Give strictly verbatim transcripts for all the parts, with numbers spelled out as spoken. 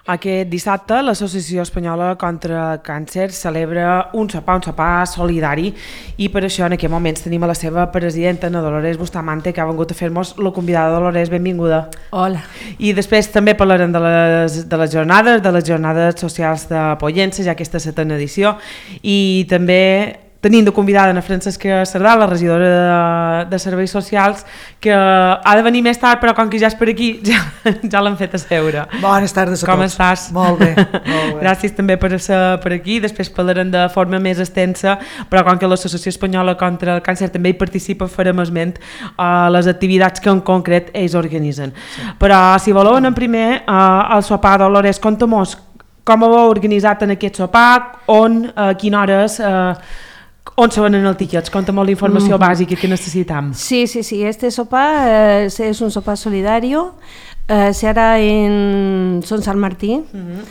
Aquest dissabte l'Associació Espanyola contra el Càncer celebra un sopar, un sopar solidari, i per això en aquests moments tenim a la seva presidenta, Ana Dolores Bustamante, que ha vengut a fer-nos la convidada. Dolores, benvinguda. Hola. I després també parlarem de les, de les jornades, de les jornades socials de Pollença, ja aquesta setena edició, i també tenim de convidada a Francesca Cerdà, la regidora de, de Serveis Socials, que ha de venir més tard, però com que ja és per aquí, ja, ja l'han fet a seure. Bones tardes a com tots. Com estàs? Molt bé, molt bé. Gràcies també per ser per aquí. Després parlarem de forma més extensa, però com que l'Associació Espanyola contra el Càncer també hi participa, farem esment a les activitats que en concret ells organitzen. Sí. Però si voleu anem primer al sopar. Dolores, conta-mos com ho heu organitzat en aquest sopar, on, a quines hores... Eh, on se venen els tiquets? Conta molt l'informació mm. bàsica que necesitam. Sí, sí, sí. Este sopar eh, es un sopar solidario. Eh, se hará en Son San Martín, mm-hmm.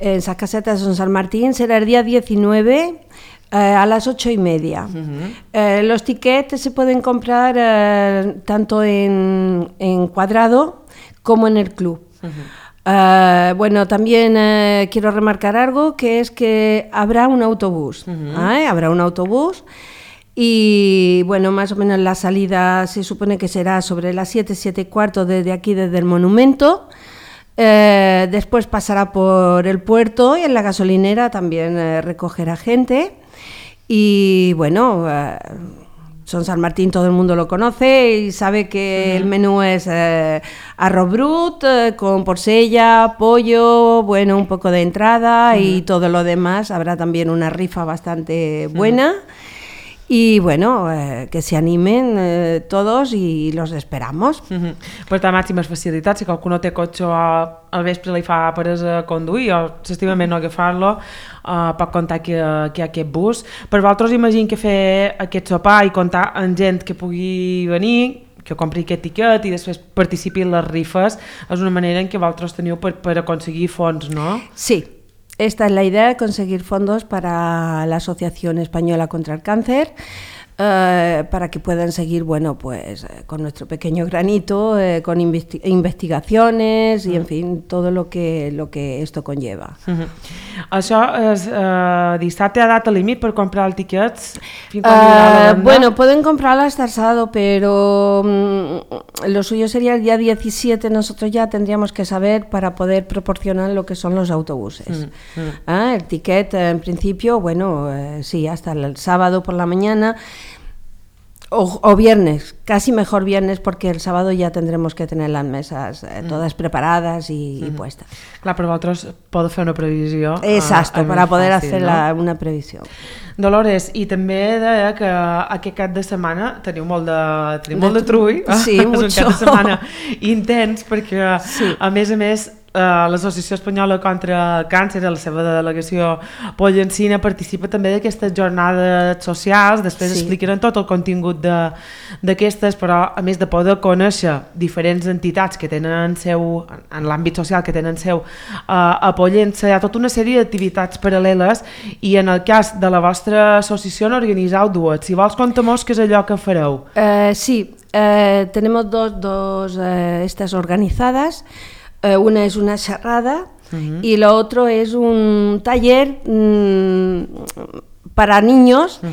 en esas casetas de Son San Martín. Será el día diecinueve eh, a las ocho y media. Mm-hmm. Eh, los tiquetes se pueden comprar eh, tanto en, en Cuadrado como en el club. Mm-hmm. Uh, bueno, también uh, quiero remarcar algo, que es que habrá un autobús, uh-huh. ¿eh? Habrá un autobús y bueno, más o menos la salida se supone que será sobre las siete, siete y cuarto desde aquí, desde el monumento. Uh, después pasará por el puerto y en la gasolinera también uh, recogerá gente y bueno... Uh, Son San Martín todo el mundo lo conoce y sabe que uh-huh. el menú es eh, arroz brut, eh, con porcella, pollo, bueno, un poco de entrada uh-huh. y todo lo demás. Habrá también una rifa bastante buena uh-huh. y bueno, eh, que se animen eh, todos y los esperamos. Uh-huh. Per tant, màximes facilitats, si qualcú no té cotxe al vespre li fa per a conduir o sensiblement no agafar-lo, Uh, pot comptar que, que hi ha aquest bus. Per vosaltres imagino que fer aquest sopar i comptar amb gent que pugui venir, que compri aquest tiquet i després participi en les rifes, és una manera en què vosaltres teniu per, per aconseguir fons, no? Sí, esta es la idea, conseguir fondos para la Asociación Española contra el Cáncer, Uh, para que puedan seguir, bueno, pues eh, con nuestro pequeño granito, eh, con investi- investigaciones y, en fin, todo lo que, lo que esto conlleva. Uh-huh. Això és uh, dissabte a data límit per comprar els tiquets? Uh, bueno, pueden comprarlo hasta el sábado, pero um, lo suyo sería el día diecisiete. Nosotros ya tendríamos que saber para poder proporcionar lo que son los autobuses. Uh-huh. Ah, el tiquet, en principio, bueno, eh, sí, hasta el sábado por la mañana. O, o viernes, casi mejor viernes, porque el sábado ya tendremos que tener las mesas eh, todas mm. preparadas y, mm. y puestas. Clar, però vosaltres podeu fer una previsió. Exacto, para poder fàcil, hacer no? la, una previsión. Dolores, i també deia que aquest cap de setmana teniu molt de, teniu molt de trull. Sí, mucho. És un cap de setmana intens, perquè sí. a més a més Uh, l'Associació Espanyola contra el Càncer, a la seva delegació pollencina, participa també d'aquestes jornades socials. Després sí. explicaran tot el contingut d'aquestes, però a més de poder conèixer diferents entitats que tenen seu, en l'àmbit social que tenen seu uh, a Pollença, hi ha tota una sèrie d'activitats paral·leles i en el cas de la vostra associació n'organitzeu dues. Si vols, conta-mos què és allò que fareu. Uh, sí, uh, tenemos dos, dos uh, estas organizadas. Uh, una es una charrada uh-huh. y lo otro es un taller mmm, para niños uh-huh.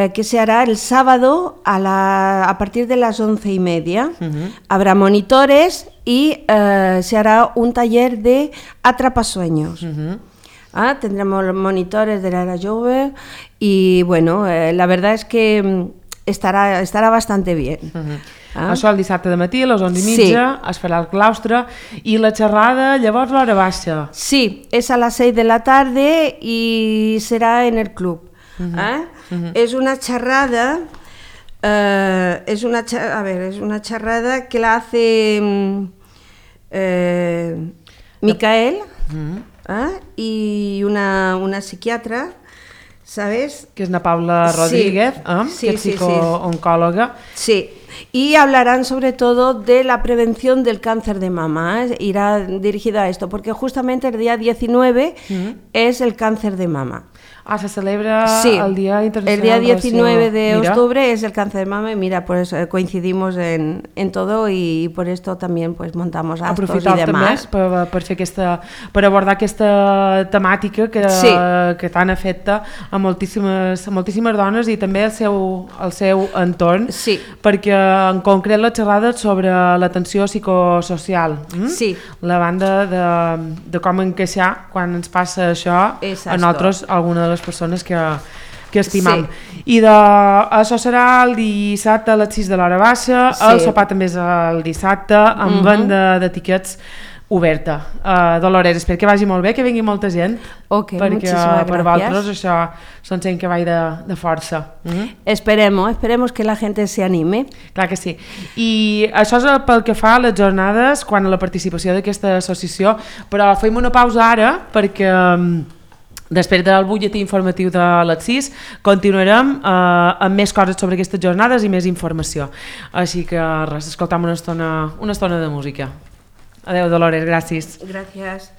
uh, que se hará el sábado a, la, a partir de las once y media. Uh-huh. Habrá monitores y uh, se hará un taller de atrapasueños. Uh-huh. Ah, tendremos los monitores de la Era Jove y bueno, eh, la verdad es que estará, estará bastante bien. Uh-huh. Ah. Això el dissabte de matí a les onze i mitja sí. es farà el claustre i la xerrada llavors l'hora baixa. Sí, es a las seis de la tarde y será en el club. Uh-huh. ¿Eh? Uh-huh. Es una charrada, uh, es una a ver, es una charrada que la hace uh, Micael uh-huh. ¿eh? y una, una psiquiatra, ¿sabes? Que es na Paula Rodríguez, sí. ¿eh? Sí, que es sí, psicooncòloga. Sí. Y hablarán sobre todo de la prevención del cáncer de mama, ¿eh? Irá dirigida a esto, porque justamente el día diecinueve uh-huh. es el cáncer de mama. Ah, se celebra sí, el Día Internacional el día diecinueve de octubre es el cáncer de mama y mira, pues eh, coincidimos en, en todo y, y por esto también pues montamos actos aprofitar y demás. també per, per, fer aquesta, per abordar aquesta temàtica que, sí. que tant afecta a moltíssimes, a moltíssimes dones i també el seu, el seu entorn, sí. perquè en concret la xerrada sobre l'atenció psicosocial, hm? sí. la banda de, de com encaixar quan ens passa això Exacto. a nosaltres, alguna de les persones que, que estimam. Sí. I de, això serà el dissabte a les sis de l'hora baixa, sí. el sopar també és el dissabte, amb uh-huh. venda de tiquets oberta. Uh, Dolores, espero que vagi molt bé, que vingui molta gent, okay, perquè per vosaltres això són gent que va de, de força. Mm-hmm. Esperemos, esperemos que la gente se anime. Clar que sí. I això és pel que fa a les jornades, quan a la participació d'aquesta associació, però fem una pausa ara, perquè després del butlletí informatiu de les sis continuarem eh, amb més coses sobre aquestes jornades i més informació. Així que res, escoltam una estona, una estona de música. Adéu, Dolores, gràcies. Gràcies.